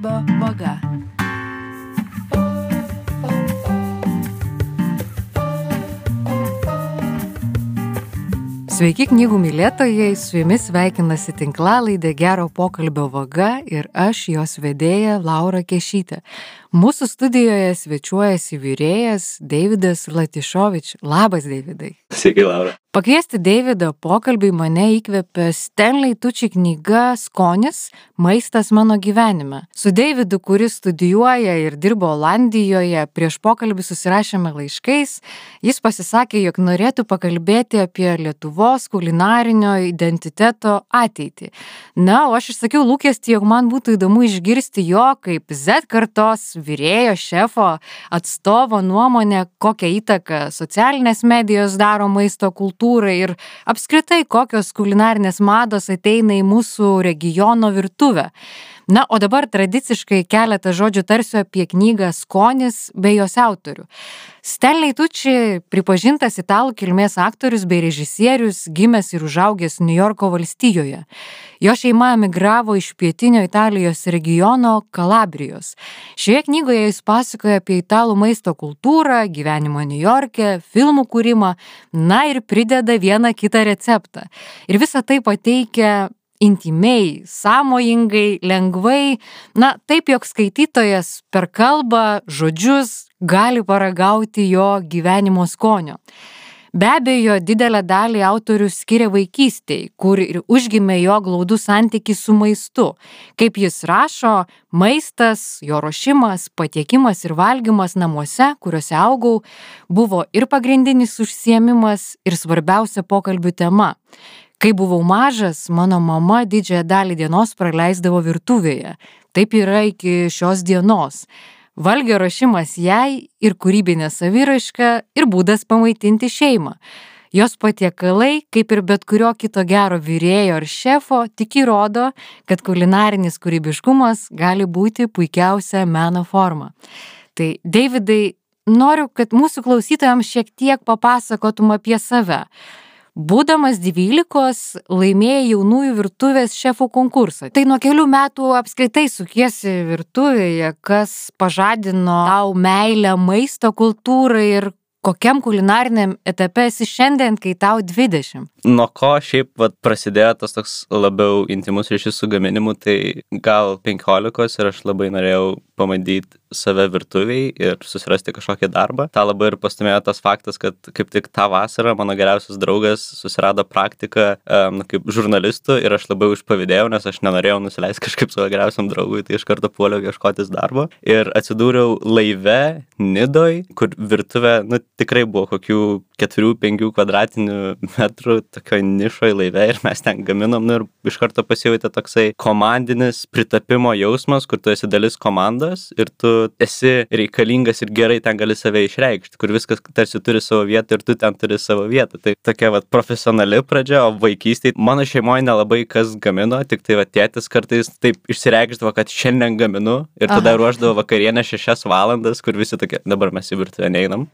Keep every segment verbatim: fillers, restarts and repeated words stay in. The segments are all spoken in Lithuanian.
pokalbio vaga. Sveiki knygų mylėtojai, su jumis sveikinasi tinklalaidė Gero pokalbio vaga ir aš jos vedėja Laura Kešytė. Mūsų studijoje svečiuojasi vyrėjas Deividas Latišovič. Labas, Deividai. Sveiki, Laura. Pakviesti Deividą pokalbį mane įkvėpė Stanley Tucci knyga Skonis – maistas mano gyvenime. Su Deividu, kuris studijuoja ir dirbo Olandijoje, prieš pokalbį susirašėme laiškais. Jis pasisakė, jog norėtų pakalbėti apie Lietuvos kulinarinio identiteto ateitį. Na, o aš išsakiau lūkestį, jog man būtų įdomu išgirsti jo kaip Z kartos vyrėjo šefo atstovo nuomonę, kokią įtaką socialinės medijos daro maisto kultūrai ir apskritai kokios kulinarinės mados ateina į mūsų regiono virtuvę. Na, o dabar tradiciškai keletą žodžių tarsiu apie knygą Skonis bei jos autorių. Stanley Tucci pripažintas italų kilmės aktorius bei režisierius, gimęs ir užaugęs Niujorko valstijoje. Jo šeima emigravo iš pietinio Italijos regiono Kalabrijos. Šioje knygoje jis pasakoja apie italų maisto kultūrą, gyvenimą Niujorke, filmų kūrimą, na ir prideda vieną kitą receptą. Ir visą tai pateikia intymiai, sąmojingai, lengvai, na taip, jog skaitytojas per kalbą, žodžius gali paragauti jo gyvenimo skonio. Be abejo, didelę dalį autorius skiria vaikystei, kur ir užgimė jo glaudus santykis su maistu. Kaip jis rašo, maistas, jo ruošimas, patiekimas ir valgymas namuose, kuriuose augau, buvo ir pagrindinis užsiėmimas, ir svarbiausia pokalbių tema. Kai buvau mažas, mano mama didžiąją dalį dienos praleisdavo virtuvėje. Taip yra iki šios dienos. Valgio ruošimas jai ir kūrybinė saviraiška ir būdas pamaitinti šeimą. Jos patiekalai, kaip ir bet kurio kito gero vyrėjo ar šefo, tik įrodo, kad kulinarinis kūrybiškumas gali būti puikiausia meno forma. Tai, Deividai, noriu, kad mūsų klausytojams šiek tiek papasakotum apie save. Būdamas dvylikos, laimėjai jaunųjų virtuvės šefų konkursą. Tai nuo kelių metų apskritai sukiesi virtuvėje, kas pažadino tau meilę maisto kultūrai ir kokiam kulinariniam etape esi šiandien, kai tau dvidešimt? Nuo ko šiaip vat, prasidėjo tas toks labiau intimus ryšys su gaminimu, tai gal penkiolikos ir aš labai norėjau pamandyti save virtuviai ir susirasti kažkokį darbą. Ta labai ir pastumėjo tas faktas, kad kaip tik tą vasarą mano geriausias draugas susirado praktiką um, kaip žurnalistų ir aš labai užpavydėjau, nes aš nenorėjau nusileisti kažkaip savo geriausiam draugui, tai iš karto puoliau ieškotis darbo. Ir atsidūriau laive Nidoj, kur virtuvė, nu, tikrai buvo kokių keturių penkių kvadratinių metrų tokio nišoj laive ir mes ten gaminom, nu, ir iš karto pasijautė toksai komandinis pritapimo jausmas, kur tu esi dalis komandos ir tu esi reikalingas ir gerai ten gali save išreikšti, kur viskas tarsi turi savo vietą ir tu ten turi savo vietą. Tai tokia vat profesionali pradžia, o vaikystėje mano šeimoje nelabai kas gamino, tik tai va tėtis kartais taip išsireikšdavo, kad šiandien gaminu ir tada Aha. ruošdavo vakarienę šešias valandas, kur visi tokie, dabar mes į virtuvę neinam,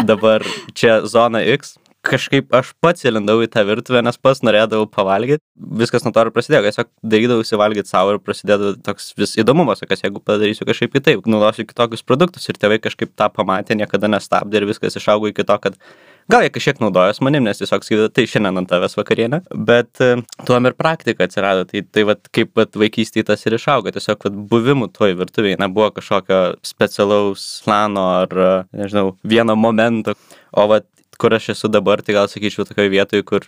dabar čia zona X. Kažkaip aš pats įlindau į tą virtuvę, nes pats norėdavau pavalgyti. Viskas nuo to ir prasidėjo, tiesiog darydavausi valgyti savo ir prasidėdavo toks vis įdomumas, kas jeigu padarysiu kažkaip kitaip, naudosiu kitokius produktus ir tėvai kažkaip tą pamatė, niekada nestabdė ir viskas išaugo iki to, kad gal jie kažkiek naudojos manim, nes tiesiog sakydavo, tai šiandien ant tavęs vakarienė, bet tuom ir praktika atsirado, tai, tai vat, kaip vat, vaikystėje tas ir išaugo, tiesiog vat, buvimų toj virtuvėje nebuvo kažkokio specialaus plano ar, nežinau, vieno momento, o vat, kur aš esu dabar, tai gal sakyčiau tokioje vietoje, kur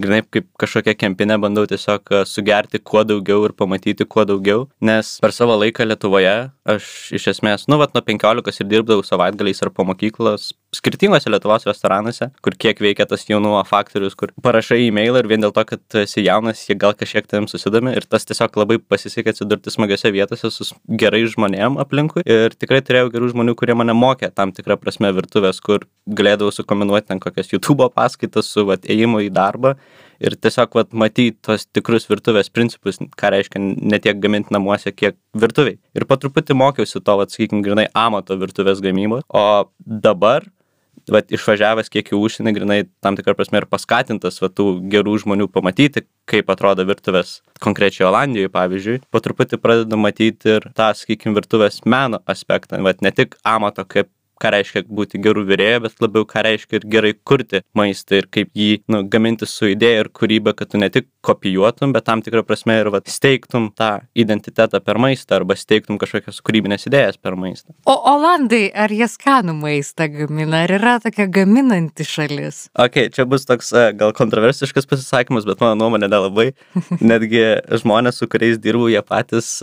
grinai kaip kažkokia kempinė bandau tiesiog sugerti kuo daugiau ir pamatyti kuo daugiau, nes per savo laiką Lietuvoje aš iš esmės, nu, vat nuo penkiolikos ir dirbdavau savaitgaliais ar po mokyklos skirtingose Lietuvos restoranuose, kur kiek veikia tas jaunumo faktorius, kur parašai e-mailą ir vien dėl to, kad tu esi jaunas, jie gal kažkiek tavim susidomi ir tas tiesiog labai pasisekė atsidurti smagiose vietose su gerai žmonėm aplinkui ir tikrai turėjau gerų žmonių, kurie mane mokė tam tikrą prasme virtuvės, kur galėdavau sukombinuoti ten kokias YouTube paskaitas su vat ėjimu į darbą ir tiesiog vat matyti tos tikrus virtuvės principus, ką reiškia ne tiek gaminti namuose, kiek virtuviai. Ir po truputį mokiausi to, vat, sakykim, grinai amato virtuvės gamybos, o dabar vat, išvažiavęs kiek į užsienį, grinai tam tikrą prasme ir paskatintas vat, tų gerų žmonių pamatyti, kaip atrodo virtuvės konkrečiai Olandijoje, pavyzdžiui, po truputį pradedu matyti ir tą, sakykime, virtuvės meno aspektą, vat, ne tik amato, kaip ką reiškia būti gerų virėjų, bet labiau ką reiškia ir gerai kurti maistą ir kaip jį nu, gaminti su idėja ir kūryba, kad tu ne tik kopijuotum, bet tam tikrą prasme ir vat, steigtum tą identitetą per maistą arba steigtum kažkokias kūrybinės idėjas per maistą. O Olandai, ar jie skanų maistą gamina, ar yra tokia gaminanti šalis? Ok, čia bus toks gal kontroversiškas pasisakymas, bet mano nuomonė nelabai. Netgi žmonės, su kuriais dirbu, jie patys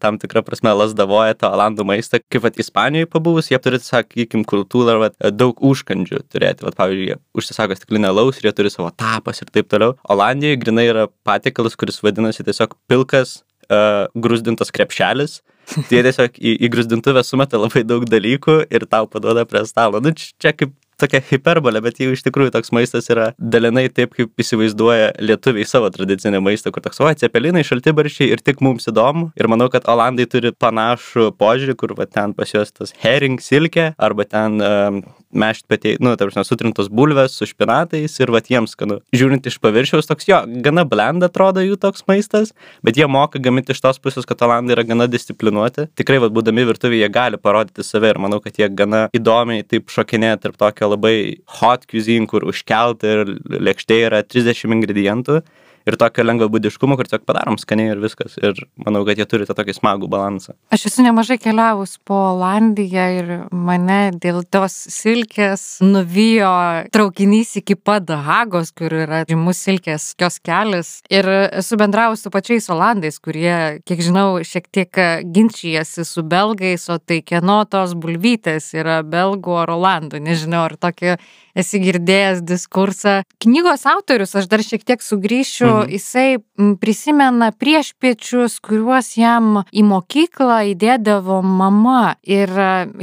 tam tikrą prasme lasdavoja tą Olandų maistą. Kaip vat Ispanijoje pabuvus, jie turi, sakykim, kultūrą vat, daug užkandžių turėti. Vat, pavyzdžiui, jie užsisako stiklinę alaus ir jie turi savo tapas ir taip toliau. Olandijoje grinai yra patiekalas, kuris vadinasi tiesiog pilkas uh, grūzdintas krepšelis. Tai jie tiesiog į, į grūzdintuvę sumeta labai daug dalykų ir tau paduoda prie stalo. Nu, čia kaip tokia hiperbolė, bet jau iš tikrųjų toks maistas yra dalinai taip, kaip įsivaizduoja lietuviai savo tradicinį maistą, kur toks, o, cepelinai, šaltibarščiai ir tik mums įdomu. Ir manau, kad Olandai turi panašų požiūrį, kur va, ten pas juos tas herring silkė, arba ten um, mešt patei, nu, tarp sutrintos bulvės su špinatais ir va, jiems skanu. Žiūrint iš paviršiaus, toks jo, gana blend atrodo jų toks maistas, bet jie moka gaminti iš tos pusės, kad Olandai yra gana disciplinuoti. Tikrai, va, būdami virtuvėje, jie gali parodyti save ir manau, kad jie gana įdomiai taip šokinėja tarp tokio labai hot cuisine, kur užkelta ir lėkštėje yra trisdešimt ingredientų ir tokio lengvabūdiškumo, kur tiesiog padarom skaniai ir viskas. Ir manau, kad jie turi tą tokį smagų balansą. Aš esu nemažai keliavus po Olandiją ir mane dėl tos silkės nuvijo traukinys iki pat Hagos, kur yra žymus silkės kioskelis. Ir esu bendravus su pačiais Olandais, kurie, kiek žinau, šiek tiek ginčijasi su belgais, o tai kieno tos bulvytės yra belgų ar Olandų. Nežinau, ar tokį esi girdėjęs diskursą. Knygos autorius, aš dar šiek tiek sugrįšiu, mhm. jisai prisimena priešpiečius, kuriuos jam į mokyklą įdėdavo mama. Ir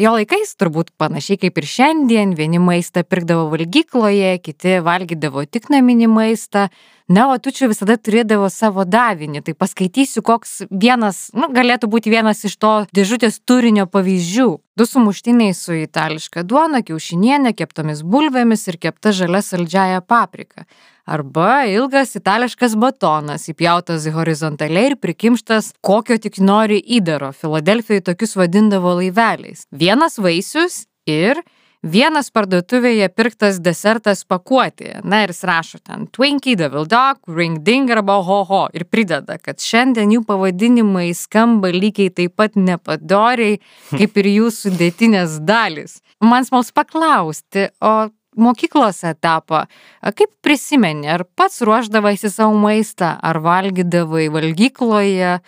jo laikais turbūt panašiai kaip ir šiandien, vieni maistą pirkdavo valgykloje, kiti valgydavo tik naminį maistą. Na, o tu čia visada turėdavo savo davinį. Tai paskaitysiu, koks vienas, nu, galėtų būti vienas iš to dėžutės turinio pavyzdžių. Du sumuštiniai su itališka duona, kiaušinienė, keptomis bulvėmis ir kepta žalia saldžiaja paprika. Arba ilgas itališkas batonas, įpjautas horizontaliai ir prikimštas kokio tik nori įdaro. Filadelfijoje tokius vadindavo laiveliais. Vienas vaisius ir vienas parduotuvėje pirktas desertas pakuotėje. Na ir jis rašo ten Twinkie, Devil Dog, Ring Ding arba Ho Ho. Ir prideda, kad šiandien jų pavadinimai skamba lygiai taip pat nepadoriai, kaip ir jų sudėtinės dalys. Man smalsu paklausti, o mokyklos etapą, kaip prisimeni, ar pats ruošdavaisi savo maistą, ar valgydavai valgykloje?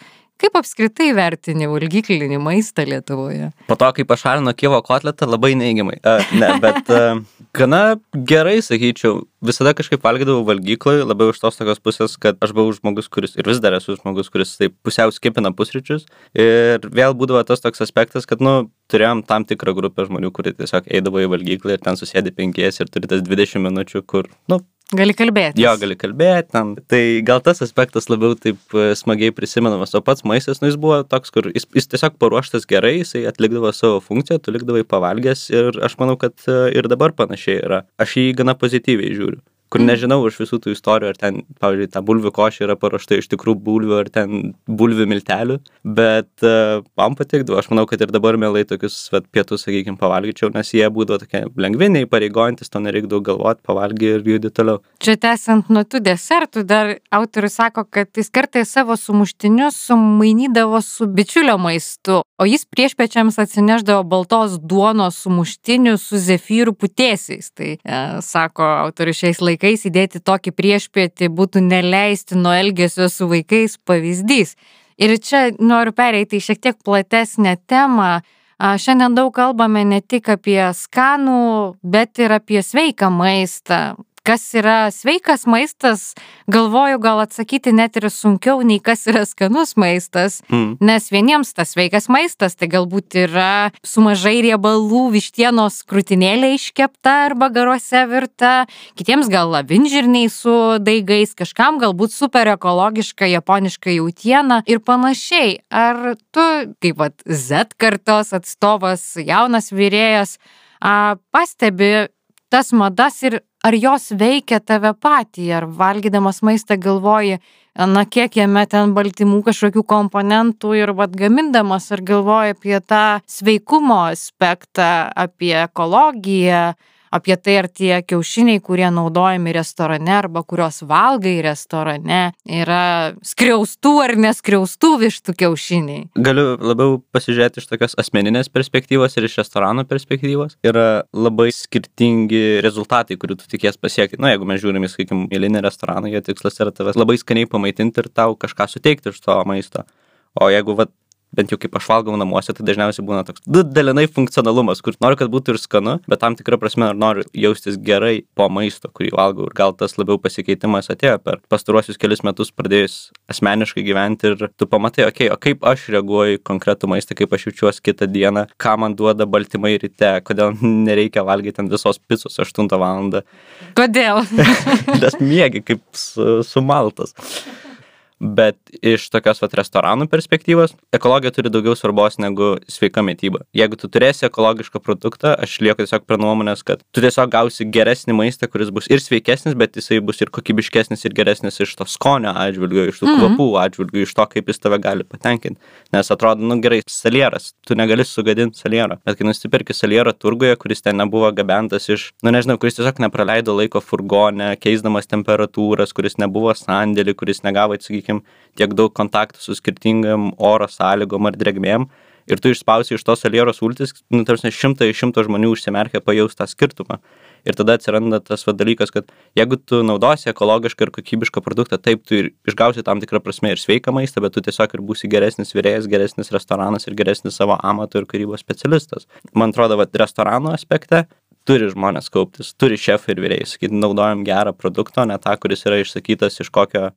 Kaip apskritai vertini valgyklinį maistą Lietuvoje? Po to, kai pašalino Kijevo kotletą, labai neigiamai. Uh, ne, bet uh, gana gerai, sakyčiau, visada kažkaip valgydavau valgykloje, labiau iš tos tokios pusės, kad aš buvau žmogus, kuris, ir vis dar esu žmogus, kuris taip pusiau skipina pusryčius. Ir vėl būdavo tas toks aspektas, kad, nu, turėjom tam tikrą grupę žmonių, kurie tiesiog eidavo į valgyklą ir ten susėdi penkies ir turi tas dvidešimt minučių, kur, nu, gali kalbėti. Jo, gali kalbėti ten. Tai gal tas aspektas labiau taip smagiai prisimenamas, o pats maistas, nu, jis buvo toks, kur jis, jis tiesiog paruoštas gerai, jisai atlikdavo savo funkciją, tu likdavai pavalgęs ir aš manau, kad ir dabar panašiai yra. Aš jį gana pozityviai žiūriu. Kur nežinau už visų tų istorijų, ar ten, pavyzdžiui, ta bulvių košė yra paruošta iš tikrų bulvių, ar ten bulvių miltelių, bet uh, man patikdavo. Aš manau, kad ir dabar mielai tokius vat, pietus, sakykime, pavalgyčiau, nes jie būdavo tokie lengvi, neįpareigojantis, to nereik daug galvoti, pavalgy ir judi toliau. Čia tęsiant nuo tų desertų, dar autorius sako, kad jis kartais savo sumuštinius sumainydavo su bičiulio maistu, o jis priešpiečiams atsineždavo baltos duonos sumuštinių su zefyrų putėsiais. Tai, e, sako autorius, šiais laikais įdėti tokį priešpietį būtų neleistino elgesio su vaikais pavyzdys. Ir čia noriu pereiti į šiek tiek platesnę temą. Šiandien daug kalbame ne tik apie skanų, bet ir apie sveiką maistą. Kas yra sveikas maistas, galvoju gal atsakyti net ir sunkiau nei kas yra skanus maistas, mm. nes vieniems tas sveikas maistas tai galbūt yra su mažai riebalų vištienos krūtinėlė iškepta arba garuose virta, kitiems gal avinžirniai su daigais, kažkam galbūt super ekologiška japoniška jautiena ir panašiai. Ar tu, kaip vat Z kartos atstovas, jaunas virėjas, a, pastebi tas madas ir ar jos veikia tave patį, ar valgydamas maistą galvoji, na kiek jame ten baltymų kažkokių komponentų ir vat gamindamas, ar galvoji apie tą sveikumo aspektą, apie ekologiją, apie tai, ar tie kiaušiniai, kurie naudojami restorane arba kurios valgai restorane, yra skriaustų ar neskriaustų vištų kiaušiniai. Galiu labiau pasižiūrėti iš tokios asmeninės perspektyvos ir iš restorano perspektyvos. Yra labai skirtingi rezultatai, kurių tu tikies pasiekti. Na, jeigu mes žiūrime, sakykim, eilinį restoraną, jo tikslas yra tavęs labai skaniai pamaitinti ir tau kažką suteikti iš to maisto. O jeigu, vat, bent jau kaip aš valgau namuose, tai dažniausiai būna toks dalinai funkcionalumas, kur noriu, kad būtų ir skanu, bet tam tikrą prasme noriu jaustis gerai po maisto, kurį valgau. Ir gal tas labiau pasikeitimas atėjo per pastaruosius kelius metus pradėjus asmeniškai gyventi ir tu pamatai, okei, okay, o kaip aš reaguoju į konkretų maistą, kaip aš jaučiuosi kitą dieną, ką man duoda baltymai ryte, kodėl nereikia valgyti ant visos picos aštuntą valandą. Kodėl? Nes miegi kaip su, sumaltas. Bet iš tokios vat restoranų perspektyvos, ekologija turi daugiau svarbos negu sveika mityba. Jeigu tu turėsi ekologišką produktą, aš lieku tiesiog prie nuomonės, kad tu tiesiog gausi geresnį maistą, kuris bus ir sveikesnis, bet jisai bus ir kokybiškesnis ir geresnis iš to skonio atžvilgių, iš tų mm-hmm. kvapų atžvilgių, iš to, kaip jis tave gali patenkinti. Nes atrodo, nu gerai, salieras, tu negali sugadinti saliero. Bet kai nusipirki salierą turguje, kuris ten nebuvo gabentas iš, nu nežinau, kuris tiesiog nepraleido laiko furgone, keisdamas temperatūras, kuris nebuvo sandėlį, kuris negavo, sakykime, tiek daug kontaktų su skirtingam oro sąlygom ar drėgmėm ir tu išspausi iš tos saliero sultis, nu, tarsi šimtai iš šimto žmonių užsimerkia pajaus tą skirtumą. Ir tada atsiranda tas va dalykas, kad jeigu tu naudosi ekologišką ir kokybišką produktą, taip tu ir išgausi tam tikrą prasme ir sveiką maistą, bet tu tiesiog ir būsi geresnis virėjas, geresnis restoranas ir geresnis savo amato ir kūrybos specialistas. Man atrodo, va, restorano aspekte turi žmonės kauptis, turi šefai ir virėjai, sakyti, naudojam gerą produktą, ne tą, kuris yra išsakytas iš kokio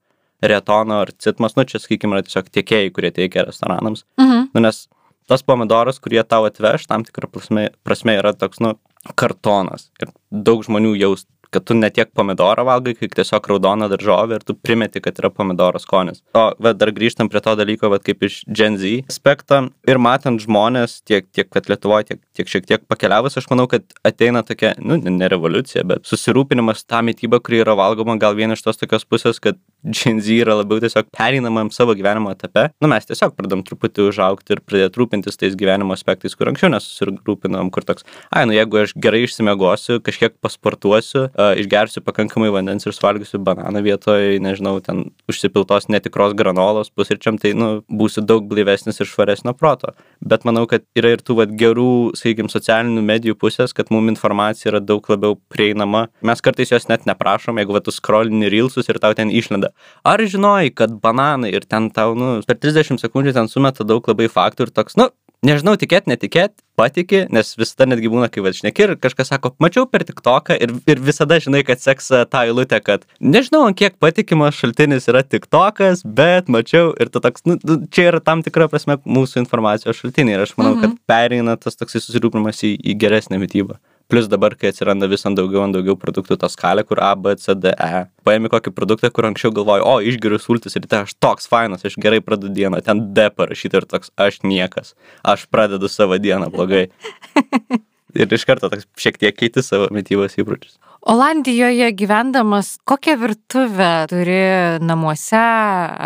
retono ar citmas, nu čia, sakykime, yra tiesiog tiekėjai, kurie teikia restoranams. Mhm. Nu, nes tas pomidoras, kurie tau atveš, tam tikrą prasme, prasme yra toks, nu, kartonas. Ir daug žmonių jaus, kad tu ne tiek pomidorą valgai, kaip tiesiog raudoną daržovę ir tu primeti, kad yra pomidoro skonis. O, bet dar grįžtam prie to dalyko, bet kaip iš Gen Z aspekto ir matant žmonės tiek, tiek kad Lietuvoje, tiek, tiek šiek tiek pakeliavus, aš manau, kad ateina tokia, nu, ne revoliucija, bet susirūpinimas tą mitybą, kuri yra valgoma, gal vien iš tos tokios pusės, kad Gen Z yra labiau tiesiog pereinamam savo gyvenimo etape. Nu, mes tiesiog pradam truputį užaugti ir pradėti rūpintis tais gyvenimo aspektais, kur anksčiau nesusirūpinom, kur toks, ai, nu, jeigu aš gerai išsimiegosiu, kažkiek pasportuosiu, uh, išgersiu pakankamai vandens ir suvalgysiu bananą vietoj, nežinau, ten užsipiltos netikros granolos pusryčiam, tai, nu, būsiu daug blaivesnis ir švaresnio proto. Bet manau, kad yra ir tų, vat, gerų, sakykim, socialinių medijų pusės, kad mums informacija yra daug labiau prieinama. Mes kartais jos net neprašom, jeigu, vat, tu scrollini reelsus ir tau ten išlenda. Ar žinojai, kad bananai ir ten tau, nu, per trisdešimt sekundžių ten sumeta daug labai faktų ir toks, nu, nežinau, tikėt, netikėt, patiki, nes visada netgi būna, kai va šneki ir kažkas sako, mačiau per TikToką ir, ir visada žinai, kad seks tą eilutę, kad nežinau, ant kiek patikimas šaltinis yra TikTokas, bet mačiau ir tu toks, nu, čia yra tam tikra prasme mūsų informacijos šaltiniai ir aš manau, mhm. kad pereina tas toksai susirūpinimas į, į geresnę mitybą. Plus dabar, kai atsiranda vis ant daugiau, ant daugiau produktų tą skalę, kur A, B, C, D, E. Paėmi kokį produktą, kur anksčiau galvoju, o, išgeriu sultis ir tai aš toks fainas, aš gerai pradedu dieną, ten D parašyta ir toks, aš niekas, aš pradedu savo dieną blogai. Ir iš karto toks šiek tiek keiti savo mitybos įpročius. Olandijoje gyvendamas, kokią virtuvę turi namuose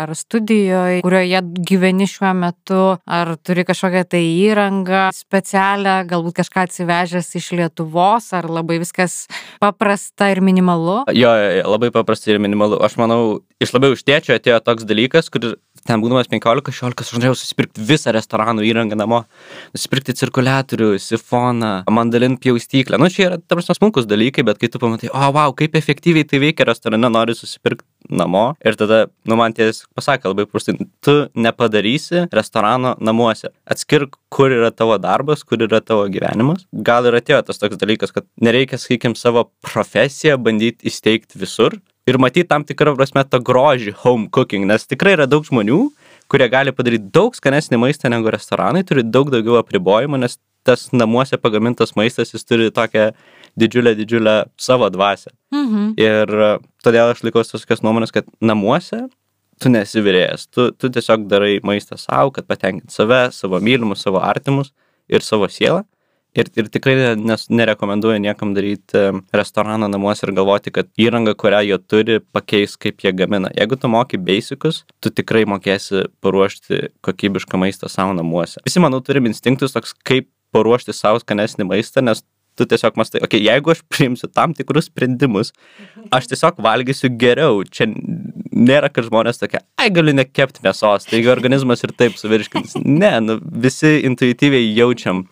ar studijoje, kurioje gyveni šiuo metu, ar turi kažkokią tai įrangą specialią, galbūt kažką atsivežęs iš Lietuvos, ar labai viskas paprasta ir minimalu? Jo, labai paprasta ir minimalu. Aš manau, iš labiau iš tėčio atėjo toks dalykas, kur ten būdamas penkiolika šešiolika, aš norėjau susipirkti visą restoranų įrangą namo, nusipirkti cirkuliatorių, sifoną, mandalin pjaustyklę. Nu, čia yra, ta prasme, smulkus dalykai, bet kai tu pamatai, o, wow, kaip efektyviai tai veikia restorane, nori susipirkti namo. Ir tada, nu, man tiesiog pasakė labai prastai, tu nepadarysi restorano namuose. Atskirk, kur yra tavo darbas, kur yra tavo gyvenimas. Gal ir atėjo tas toks dalykas, kad nereikia, sakykim, savo profesiją bandyti įsteigti visur. Ir matyti tam tikrą prasme tą grožį home cooking, nes tikrai yra daug žmonių, kurie gali padaryti daug skanesnį maistą negu restoranai, turi daug daugiau apribojimų, nes tas namuose pagamintas maistas, jis turi tokią didžiulę, didžiulę savo dvasią. Mhm. Ir todėl aš laikausi tokios nuomonės, kad namuose tu nesi virėjas, tu, tu tiesiog darai maistą savo, kad patenkinti save, savo mylimus, savo artimus ir savo sielą. Ir, ir tikrai nes, nerekomenduoju niekam daryti restoraną namuose ir galvoti, kad įranga, kurią jie turi, pakeis, kaip jie gamina. Jeigu tu moki basicus, tu tikrai mokėsi paruošti kokybišką maistą savo namuose. Visi, manau, turim instinktus toks, kaip paruošti savo skanesnį maistą, nes tu tiesiog mastai, okei, okay, jeigu aš priimsiu tam tikrus sprendimus, aš tiesiog valgysiu geriau. Čia nėra, kad žmonės tokia, ai, galiu nekepti mėsos, taigi organizmas ir taip suvirškins. Ne, nu, visi intuityviai jaučiam,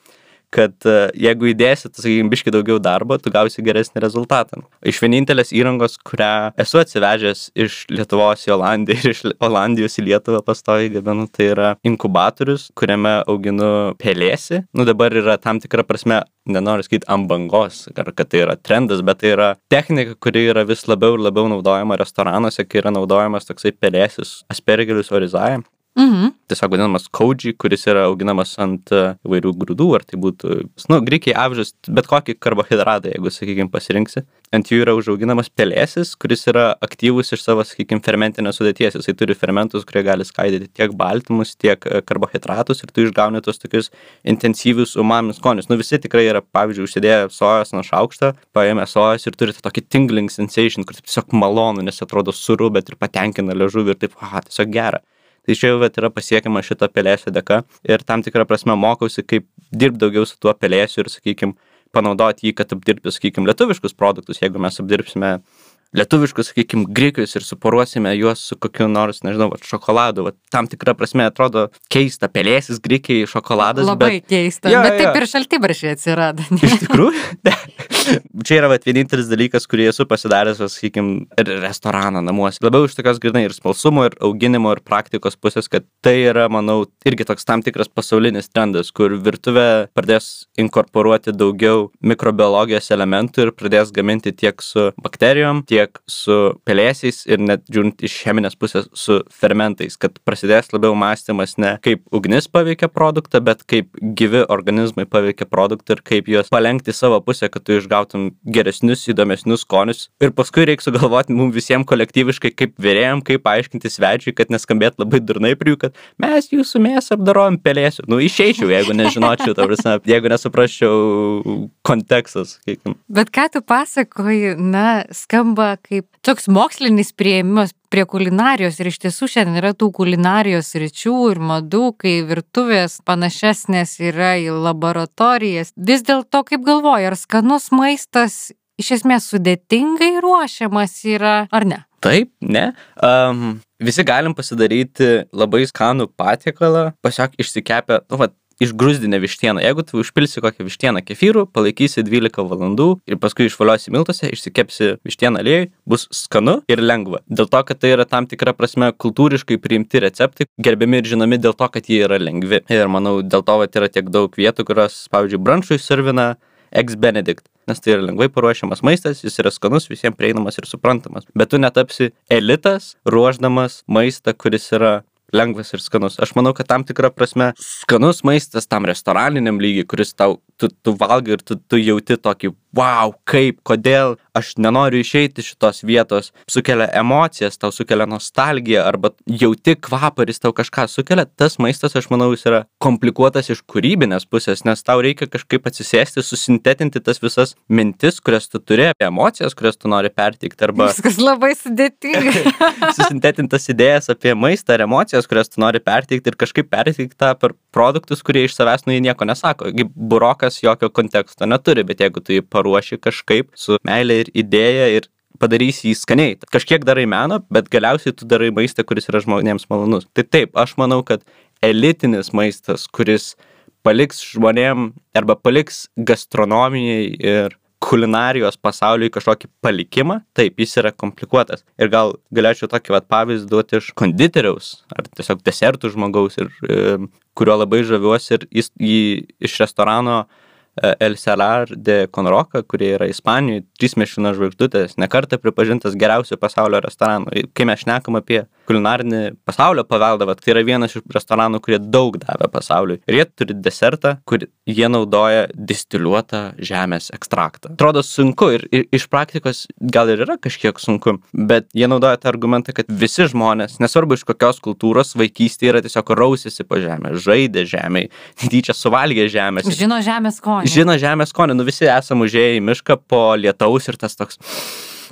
kad uh, jeigu įdėsi, tu, sakykime, biškai daugiau darbo, tu gausi geresnį rezultatą. Iš vienintelės įrangos, kurią esu atsivežęs iš Lietuvos į Olandiją ir iš Olandijos į Lietuvą pastoviai gaminu, tai yra inkubatorius, kuriame auginu pelėsį. Nu, dabar yra tam tikra prasme, nenoriu sakyti ant bangos, ar kad tai yra trendas, bet tai yra technika, kuri yra vis labiau ir labiau naudojama restoranuose, kai yra naudojamas toksai pelėsis Aspergillus oryzae. Mhm. Tiesiog vadinamas koji, kuris yra auginamas ant įvairių grūdų, ar tai būtų, nu, grikiai, avižas, bet kokį karbohidratą, jeigu, sakykime, pasirinksi. Ant jų yra užauginamas pelėsis, kuris yra aktyvus iš savo, sakykime, fermentinės sudėties. Jisai turi fermentus, kurie gali skaidyti tiek baltymus, tiek karbohidratus ir tu išgauni tos tokius intensyvius umami skonius. Nu, visi tikrai yra, pavyzdžiui, užsidėję sojos nuo šaukšto, paėmę sojos ir turi tokį tingling sensation, kur tiesiog malonu, nes atrodo suru, bet ir patenkina liežuvį ir taip, aha, tiesiog gera. Tai čia jau yra pasiekiama šito pelėsio dėka ir tam tikrą prasme mokausi, kaip dirbti daugiau su tuo pelėsiu ir, sakykime, panaudoti jį, kad apdirbti, sakykime, lietuviškus produktus. Jeigu mes apdirbsime lietuviškus, sakykime, grikius ir suporuosime juos su kokiu nors, nežinau, va, šokoladu, va, tam tikrą prasme atrodo keista, pelėsis, grikiai, šokoladas. Labai bet... keista, jo, bet taip jo. Ir šaltibarščiai atsirado. Ne? Iš tikrųjų? Čia yra va, vienintelis dalykas, kurį esu pasidaręs, sakykime, restoraną namuose. Labiau iš tokios grinai ir smalsumo, ir auginimo, ir praktikos pusės, kad tai yra, manau, irgi toks tam tikras pasaulinis trendas, kur virtuvė pradės inkorporuoti daugiau mikrobiologijos elementų ir pradės gaminti tiek su bakterijom, tiek su pelėsiais ir net žiūrint iš cheminės pusės su fermentais, kad prasidės labiau mąstymas ne kaip ugnis paveikia produktą, bet kaip gyvi organizmai paveikia produktą ir kaip juos palenkti savo pusę, kad tu išgautum geresnius, įdomesnius skonius. Ir paskui reikia sugalvoti mums visiems kolektyviškai, kaip vėrėjom, kaip paaiškinti svečiui, kad neskambėt labai durnai prie jų, kad mes jūsų mėsą apdarojam pelėsiu. Nu, išeičiau, jeigu nežinočiau, ta prasme, jeigu nesuprasčiau kontekstas. Kiekam. Bet ką tu pasakoji, na, skamba kaip toks mokslinis priėmimas prie kulinarijos ir iš tiesų šiandien yra tų kulinarijos ryčių ir madų, kai virtuvės panašesnės yra į laboratorijas. Vis dėlto, kaip galvoji, ar skanus maistas iš esmės sudėtingai ruošiamas yra, ar ne? Taip, ne. Um, visi galim pasidaryti labai skanų patiekalą, pasiog išsikepę, nu, va, išgrūzdinę vištieną. Jeigu tu užpilsi kokią vištieną kefyrų, palaikysi dvylika valandų ir paskui išvaliosi miltuose, išsikepsi vištieną aliejui, bus skanu ir lengva. Dėl to, kad tai yra tam tikra prasme kultūriškai priimti receptai, gerbiami ir žinomi dėl to, kad jie yra lengvi. Ir manau, dėl to vat, yra tiek daug vietų, kurios, pavyzdžiui, brunčui servina Eggs Benedict, nes tai yra lengvai paruošiamas maistas, jis yra skanus, visiems prieinamas ir suprantamas. Bet tu netapsi elitas, ruošdamas maistą, kuris yra lengvas ir skanus. Aš manau, kad tam tikra prasme skanus maistas tam restoraniniam lygiai, kuris tau, tu, tu valgai ir tu, tu jauti tokį, wow, kaip, kodėl aš nenoriu išeiti iš šitos vietos, sukelia emocijas, tau sukelia nostalgiją, arba jauti kvapą ir jis tau kažką sukelia, tas maistas, aš manau, jis yra komplikuotas iš kūrybinės pusės, nes tau reikia kažkaip atsisėsti, susintetinti tas visas mintis, kurias tu turi, emocijas, kurias tu nori perteikti, arba... Viskas labai sudėtinga. Susintetintas idėjas apie maistą ir emocijas, kurias tu nori perteikti ir kažkaip perteikti tą per produktus, kurie iš savęs nu jie nieko nesako. Burokas jokio konteksto neturi, bet jeigu tu jį paruoši kažkaip su meilė ir idėja ir padarysi jį skaniai. Kažkiek darai meno, bet galiausiai tu darai maistą, kuris yra žmonėms malonus. Tai taip, aš manau, kad elitinis maistas, kuris paliks žmonėm arba paliks gastronomijai ir kulinarijos pasauliui kažkokį palikimą, taip, jis yra komplikuotas. Ir gal galėčiau tokį vat, pavyzdį duoti iš konditeriaus, ar tiesiog desertų žmogaus, ir, e, kurio labai žaviuosi, ir jis jį iš restorano e, El Celar de Conroca, kurie yra Ispanijoje, trys Michelin žvaigždutės, nekartą pripažintas geriausiu pasaulio restoranu. Kai mes šnekam apie kulinarinį pasaulio paveldą, vat, tai yra vienas iš restoranų, kurie daug davė pasauliui. Ir jie turi desertą, kur jie naudoja distiliuotą žemės ekstraktą. Atrodo sunku ir, ir iš praktikos gal ir yra kažkiek sunku, bet jie naudoja tą argumentą, kad visi žmonės, nesvarbu iš kokios kultūros, vaikystėje yra tiesiog rausėsi po žemę, žaidė žemėj, tyčia suvalgė žemės. Žino žemės skonį. Žino žemės skonį. Nu visi esam užėję į mišką po lietaus ir tas toks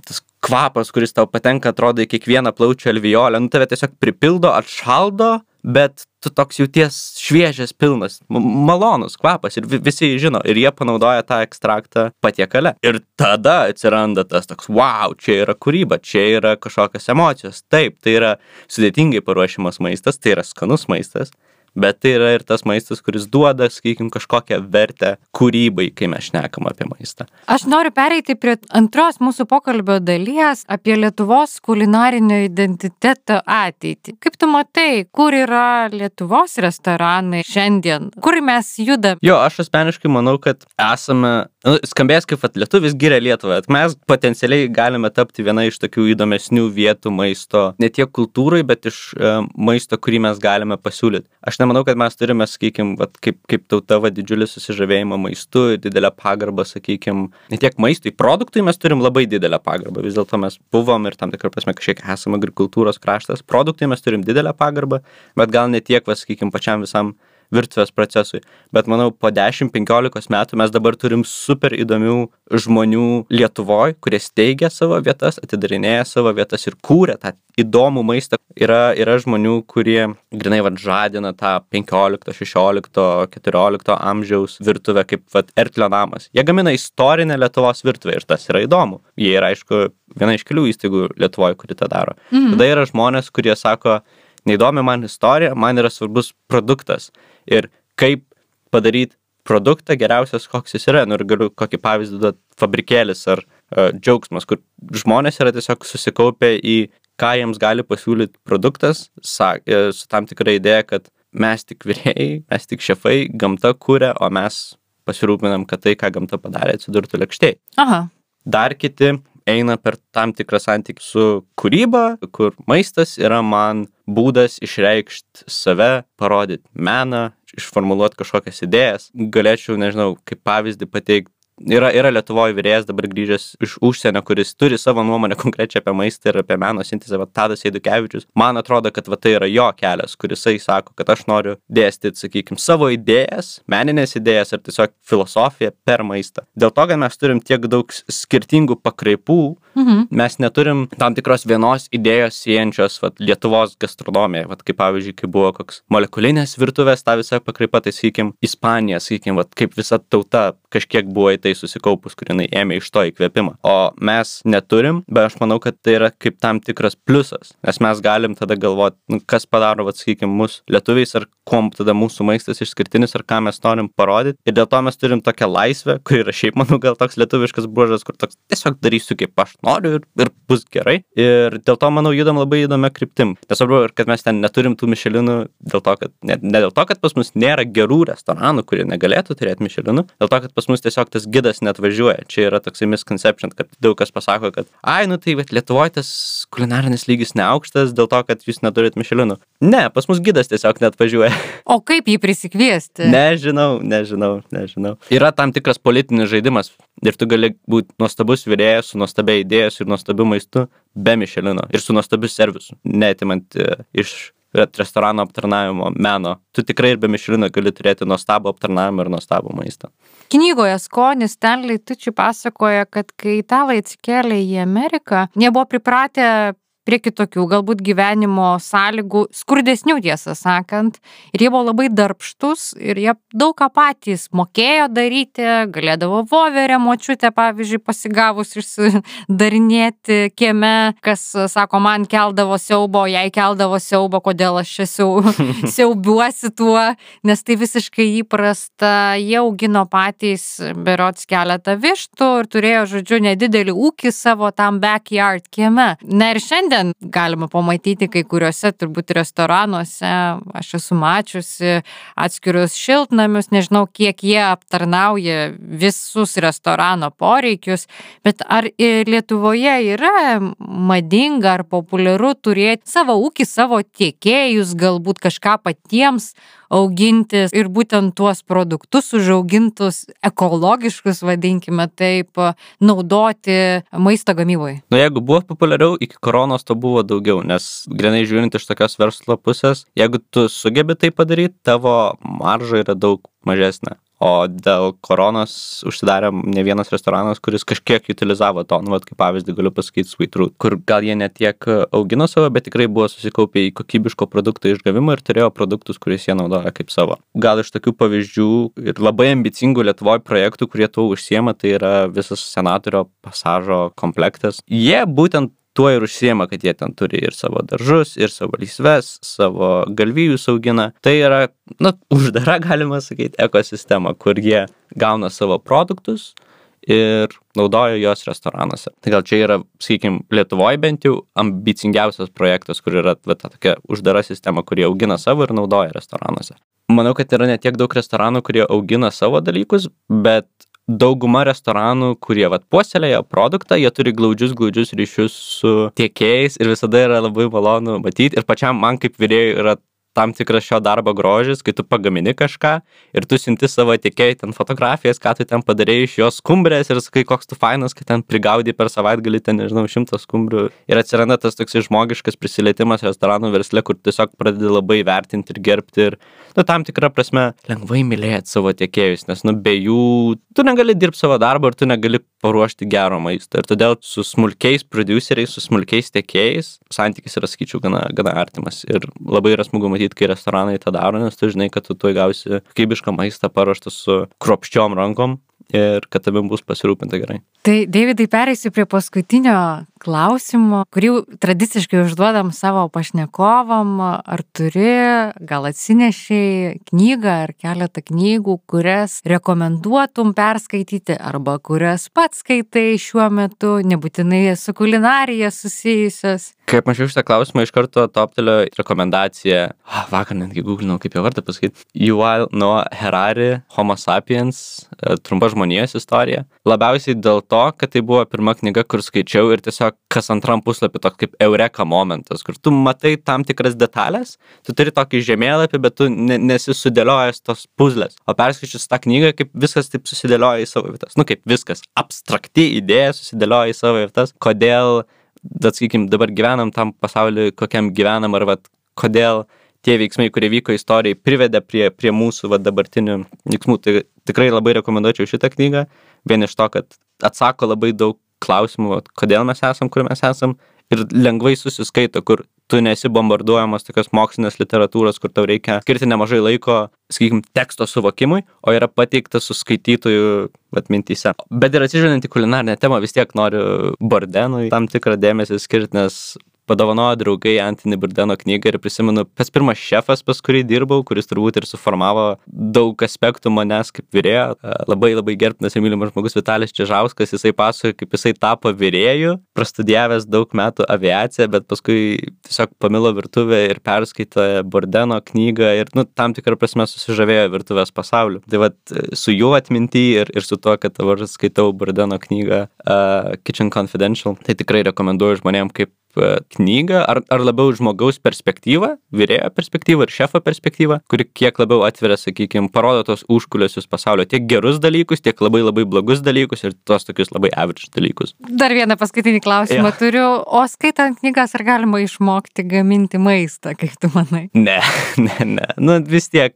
tas kvapas, kuris tau patenka, atrodo į kiekvieną plaučių alveolę, nu tave tiesiog pripildo, atšaldo, bet tu toks jauties šviežias, pilnas, malonus kvapas ir visi žino ir jie panaudoja tą ekstraktą patiekale. Ir tada atsiranda tas toks, wow, čia yra kūryba, čia yra kažkokios emocijos. Taip, tai yra sudėtingai paruošimas maistas, tai yra skanus maistas, bet tai yra ir tas maistas, kuris duoda, sakykim, kažkokią vertę kūrybai, kai mes šnekam apie maistą. Aš noriu pereiti prie antros mūsų pokalbio dalies apie Lietuvos kulinarinio identiteto ateitį. Kaip tu matai, kur yra Lietuvos restoranai šiandien? Kur mes judam? Jo, aš asmeniškai manau, kad esame, nu, skambės kaip at lietuvis giria Lietuvą, mes potencialiai galime tapti viena iš tokių įdomesnių vietų maisto, ne tiek kultūrai, bet iš e, maisto, kurį mes galime pasiūlyti. Aš nemanau, kad mes turime, sakykim, vat, kaip, kaip tauta va, didžiulį susižavėjimą maistu, didelę pagarbą, sakykim, ne tiek maistui, produktui mes turim labai didelę pagarbą, vis dėlto mes buvom ir tam tikrą prasme kažkiek esame agrikultūros kraštas, produktui mes turim didelę pagarbą, bet gal ne tiek, va, sakykim, pačiam visam virtuvės procesui. Bet manau, po dešimt penkiolikos metų mes dabar turim super įdomių žmonių Lietuvoj, kurie steigia savo vietas, atidarinėja savo vietas ir kūrė tą įdomų maistą. Yra, yra žmonių, kurie grinai vat, žadina tą penkiolikto, šešiolikto, keturiolikto amžiaus virtuvę kaip vat, Ertlio namas. Jie gamina istorinę Lietuvos virtuvę ir tas yra įdomu. Jie yra, aišku, viena iš kelių įstaigų Lietuvoj, kuri tą daro. Mhm. Tada yra žmonės, kurie sako, neįdomi man istorija, man yra svarbus produktas. Ir kaip padaryti produktą geriausias, koks jis yra. Nu, ir galiu kokį pavyzdį duoti fabrikėlis ar uh, džiaugsmas, kur žmonės yra tiesiog susikaupę į ką jiems gali pasiūlyti produktas, sa, su tam tikra idėja, kad mes tik virėjai, mes tik šefai, gamta kuria, o mes pasirūpinam, kad tai, ką gamta padarė, atsidurtų lėkštėj. Aha. Dar kiti eina per tam tikrą santykį su kūryba, kur maistas yra man būdas išreikšti save, parodyti meną, išformuluoti kažkokias idėjas. Galėčiau, nežinau, kaip pavyzdį pateikti. Yra, yra Lietuvoje virėjas dabar grįžęs iš užsienio, kuris turi savo nuomonę konkrečią apie maistą ir apie meno sintezę, va, Tadas Eidukevičius. Man atrodo, kad va, tai yra jo kelias, kuris jisai sako, kad aš noriu dėstyti, sakykime, savo idėjas, meninės idėjas ar tiesiog filosofiją per maistą. Dėl to, kad mes turim tiek daug skirtingų pakraipų, mhm. mes neturim tam tikros vienos idėjos siejančios va, Lietuvos gastronomiją. Va, kaip pavyzdžiui, kai buvo koks molekulinės virtuvės, ta visa pakraipa, tai sakykim, Ispanija, sakykim, va, kaip visa tauta kažkiek buvo į tai susikaupus, kur jinai ėmė iš to įkvėpimą. O mes neturim, bet aš manau, kad tai yra kaip tam tikras pliusas, nes mes galim tada galvoti, nu, kas padaro, vat, sakykime, mus lietuviais, ar kuom tada mūsų maistas išskirtinis, ar ką mes norim parodyti. Ir dėl to mes turim tokią laisvę, kur yra šiaip, manau, gal toks lietuviškas bruožas, kur toks tiesiog darysiu, kaip aš noriu ir, ir bus gerai. Ir dėl to, manau, judam labai įdomia kryptim. Nesvarbu, kad mes ten neturim tų mišelinų, dėl to, kad, ne, ne dėl to, kad pas mus nėra gerų restoranų, kurie negalėtų turėti mišelinų, dėl to, kad pas mus tiesiog tas gidas neatvažiuoja. Čia yra toksai misconception, kad daug kas pasako, kad ai, nu tai, bet Lietuvoje tas kulinarinis lygis neaukštas dėl to, kad jūs neturit mišelinų. Ne, pas mus gidas tiesiog neatvažiuoja. O kaip jį prisikviesti? Nežinau, nežinau, nežinau. Yra tam tikras politinis žaidimas ir tu gali būti nuostabus virėjas su nuostabia idėjas ir nuostabiu maistu be mišelino ir su nuostabiu servisu, neatimant uh, iš restorano aptarnavimo meno. Tu tikrai ir be mišelino gali turėti nuostabų aptarnavimą ir nuostabų maistą. Knygoje Skonis Stanley Tucci pasakoja, kad kai italai atsikėlė į Ameriką, nebuvo pripratę prie kitokių galbūt gyvenimo sąlygų, skurdesnių tiesą sakant, ir jie buvo labai darbštus ir jie daug ką patys mokėjo daryti, galėdavo voverę močiutę, pavyzdžiui, pasigavus išsidarinėti kieme, kas, sako, man keldavo siaubo, jai keldavo siaubo, kodėl aš čia siau, siaubiuosi tuo, nes tai visiškai įprasta. Jie augino patys berods keletą vištų ir turėjo, žodžiu, nedidelį ūkį savo tam backyard kieme. Na ir šiandien šiandien galima pamatyti kai kuriuose turbūt restoranuose, aš esu mačiusi atskirius šiltnamius, nežinau, kiek jie aptarnauja visus restorano poreikius, bet ar Lietuvoje yra madinga ar populiaru turėti savo ūkį, savo tiekėjus, galbūt kažką patiems auginti ir būtent tuos produktus užaugintus, ekologiškus, vadinkime taip, naudoti maisto gamyboje? Nu, jeigu buvo populiariau, iki koronos to buvo daugiau, nes grinai žiūrint iš tokios verslo pusės, jeigu tu sugebi tai padaryti, tavo marža yra daug mažesnė. O dėl koronos užsidarė ne vienas restoranas, kuris kažkiek utilizavo to, nu, vat, kaip pavyzdį galiu pasakyti Sweet Root, kur gal jie ne tiek augino savo, bet tikrai buvo susikaupę į kokybiško produkto išgavimą ir turėjo produktus, kuriuos jie naudoja kaip savo. Gal iš tokių pavyzdžių ir labai ambicingų Lietuvoje projektų, kurie tuo užsiema, tai yra visas Senatorio pasažo komplektas. Jie būtent tuo ir užsiema, kad jie ten turi ir savo daržus, ir savo lysves, savo galvijus augina. Tai yra, nu, uždara, galima sakyti, ekosistema, kur jie gauna savo produktus ir naudoja juos restoranuose. Tai gal čia yra, sakykime, Lietuvoje bent jau ambicingiausias projektas, kur yra va, ta tokia uždara sistema, kurie augina savo ir naudoja restoranuose. Manau, kad yra ne tiek daug restoranų, kurie augina savo dalykus, bet dauguma restoranų, kurie vat puoselėja produktą, jie turi glaudžius, glaudžius ryšius su tiekėjais ir visada yra labai malonu matyti. Ir pačiam man kaip virėjui yra tam tikras šio darbo grožis, kai tu pagamini kažką ir tu siunti savo tiekėjai ten fotografijas, ką tu ten padarei iš jos skumbrės ir sakai, koks tu fainas, kad ten prigaudai per savaitgalį ten, nežinau, šimtą skumbrių. Ir atsiranda tas toks žmogiškas prisilietimas restoranų versle, kur tiesiog pradedi labai vertinti ir gerbti ir, nu, tam tikrą prasme lengvai mylėti savo tiekėjus, nes, nu, be jų tu negali dirbti savo darbą ir tu negali paruošti gero maisto. Ir todėl su smulkiais produceriais, su smulkiais tiekėjais santykis yra, sakyčiau, gana, gana artimas. Ir labai yra smagu matyti, kai restoranai tą daro, nes tu žinai, kad tu tuoj gausi kokybišką maistą paruoštą su kruopščiom rankom ir kad tavim bus pasirūpinta gerai. Tai, Deividai, pereisiu prie paskutinio klausimo, kurį tradiciškai užduodam savo pašnekovam. Ar turi, gal atsinešiai knygą ar keletą knygų, kurias rekomenduotum perskaityti arba kurias pats skaitai šiuo metu, nebūtinai su kulinarija susijusios? Kaip mačiau šitą klausimą, iš karto toptelio rekomendacija, ah, vakar netgi googlinau, kaip jo vardą pasakyti, Yuval Noah Harari, Homo sapiens, trumpa žmonijos istorija. Labiausiai dėl to, kad tai buvo pirma knyga, kur skaičiau ir tiesiog kas antram puslapį toks kaip eureka momentas, kur tu matai tam tikras detalės, tu turi tokį žemėlapį, bet tu ne, nesi sudėliojęs tos puzlės. O perskaičius tą knygą, kaip viskas taip susidėlioja į savo vietas. Nu, kaip viskas, abstrakti idėja susidėlioja į savo vietas. Kodėl, bet, sakykim, dabar gyvenam tam pasauliu, kokiam gyvenam, ar vat, kodėl tie veiksmai, kurie vyko istorijai, privedė prie, prie mūsų vat, dabartinių veiksmų. Tai tikrai labai rekomenduočiau šitą knygą, vien iš to, kad atsako labai daug klausimų, vat, kodėl mes esam, kur mes esam, ir lengvai susiskaito, kur tu nesi bombarduojamas tokios mokslinės literatūros, kur tau reikia skirti nemažai laiko, sakykim, teksto suvokimui, o yra pateiktas su skaitytojų vat, mintyse. Bet ir atsižvelgiant į kulinarinę temą, vis tiek noriu Bordenui tam tikrą dėmesį skirti, nes padovanojo draugai Anthony Bourdaino knygą ir prisimenu, pats pirmas šefas, pas kurį dirbau, kuris turbūt ir suformavo daug aspektų manęs kaip virėjo. Labai labai gerbtinas ir mylimas žmogus Vitalijus Čižauskas, jisai pasakoja, kaip jisai tapo virėju, prastudijavęs daug metų aviaciją, bet paskui tiesiog pamilo virtuvę ir perskaitė Bourdaino knygą ir, nu, tam tikrą prasme susižavėjo virtuvės pasauliu. Tai vat su juo atminty ir, ir su tuo, kad dabar skaitau Bourdaino knygą uh, Kitchen Confidential, tai tikrai rekomenduoju žmonėm kaip knygą, ar, ar labiau žmogaus perspektyvą, virėjo perspektyvą ir šefo perspektyvą, kuri kiek labiau atveria, sakykime, parodo tos užkulisius pasaulio, tiek gerus dalykus, tiek labai labai blogus dalykus ir tos tokius labai average dalykus. Dar vieną paskutinį klausimą ja. turiu. O skaitant knygas, ar galima išmokti gaminti maistą, kaip tu manai? Ne, ne, ne. Nu, vis tiek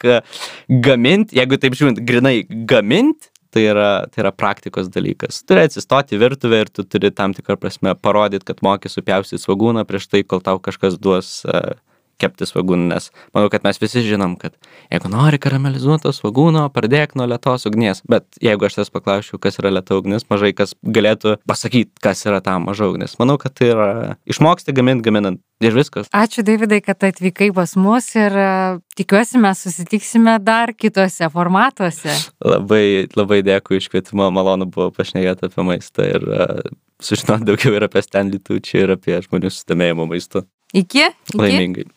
gaminti, jeigu taip žiūrint, grinai gaminti, Tai yra, tai yra praktikos dalykas. Turi atsistoti į virtuvę ir tu turi tam tikrą prasme parodyti, kad moki supjaustyti svogūną prieš tai, kol tau kažkas duos uh, kepti svagūnų, nes manau, kad mes visi žinom, kad jeigu nori karamelizuoto svagūno, pradėk nuo lėtos ugnies. Bet jeigu aš tas paklausčiau, kas yra lėta ugnis, mažai kas galėtų pasakyti, kas yra ta maža ugnis. Manau, kad tai yra išmoksti gaminti, gaminant. Ir viskas. Ačiū, Davidai, kad atvykai pas mus ir tikiuosi mes susitiksime dar kitose formatuose. Labai, labai dėkui iš kvietimo, malonu buvo pašnekėti apie maistą ir uh, sužinoti daugiau ir apie Stanley Tucci ir apie žmonių susidomėjimo maistu. Iki. Iki. Laimingai.